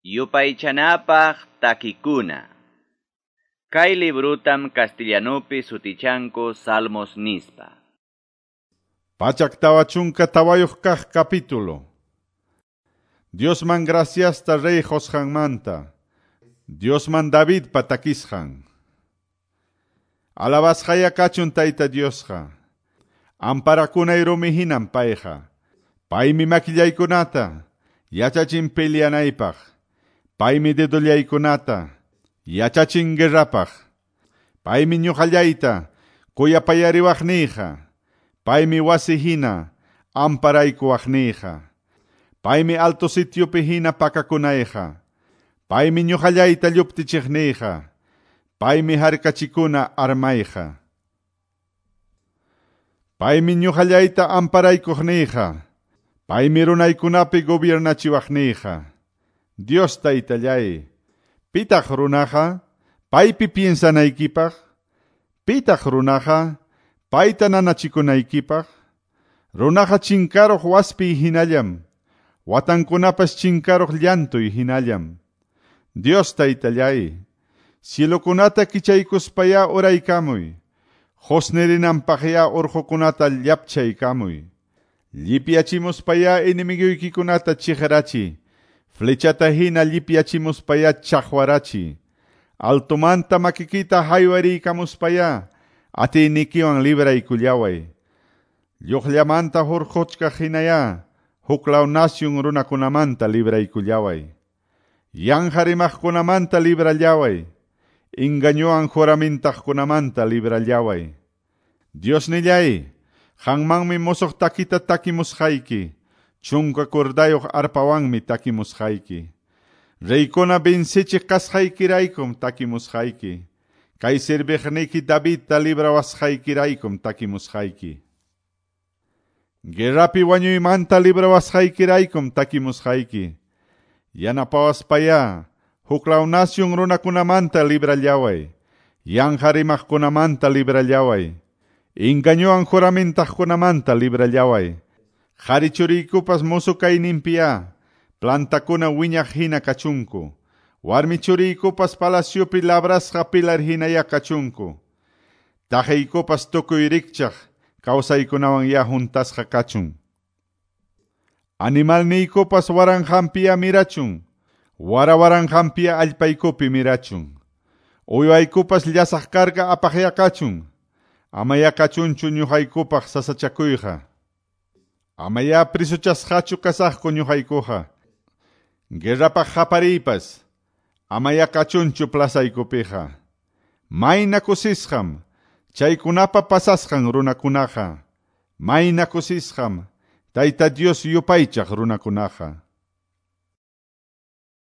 Yupaychanapaq takikuna. Kay librutam castellanupi sutichanku Salmos nispa. 144 kaq capítulo. Diosman graciasta rey qusqanmanta. Diosman Davidpa takisqan. Alabasqaya kachun Tayta Diosqa. Amparakunay rumi hinam payqa. Paymi makillaykunata yachachin peleanaypaq. Paymi dedollaykunata yachachin guerrapaq. Paymi ñuqallayta kuyapayariwaqniyqa. Paymi wasi hina amparaykuwaqniyqa. Paymi alto sitiopi hina pakakunayqa. Paymi ñuqallayta lluptichiqniyqa. Paymi harkachikuna armayqa. Paymi ñuqallayta amparaykuqniyqa. Paymi runaykunapi gobiernachiwaqniyqa. Dios Taytallay, pitaq runaqa paypi piensanaykipaq? Pitaq runaqa payta nanachikunaykipaq? Runaqa chinkaruq waspiy hinallam, watankunapas chinkaruq llantuy hinallam. Dios Taytallay, cielokunata kichaykuspaya uraykamuy, qusnirinanpaqya urqukunata llapchaykamuy. Llipyachimuspaya enemiguykikunata chiqrachi, flechata hina llipyachimuspaya chaqwarachi. Altomanta makikita haywariykamuspaya atiynikiwan libraykullaway. Lluqllamanta hurquchkaq hinaya huklaw nasyun runakunamanta libraykullaway. Yanqa rimaqkunamanta librallaway. Engañowan juramintaqkunamanta librallaway. Diosnillay, qanmanmi musuq takita takimusqayki. 10 kordayuq arpawanmi takimusqayki. Reykuna vencechiq kasqaykiraykum takimusqayki. Kay serviqniyki Davidta librawasqaykiraykum takimusqayki. Guerrapi wañuymanta librawasqaykiraykum takimusqayki. Yanapawaspaya huklaw nasyun runakunamanta librallaway. Yanqa rimaqkunamanta librallaway. Engañowan juramintaqkunamanta librallaway. Qhari churiykupas musu kayninpiya plantakuna wiñaq hina kachunku. Warmi churiykupas palaciopi labrasqa pilar hinaya kachunku. Taqiykupas tukuy rikchaq kawsaykunawan ya huntasqa kachun. Animalniykupas waranqanpiya mirachun. Wara-waranqanpiya allpaykupi mirachun. Uywaykupas llasaq karga apaqya kachun. Amaya kachunchu ñuqaykupaq sasachakuyqa. Amaya prisuchasqachu kasaqku ñuqaykuqa. Guerrapaq qapariypas amaya kachunchu plasaykupiqa. Mayna kusisqam chaykunapa pasasqan runakunaqa. Mayna kusisqam Tayta Dios yupaychaq runakunaqa.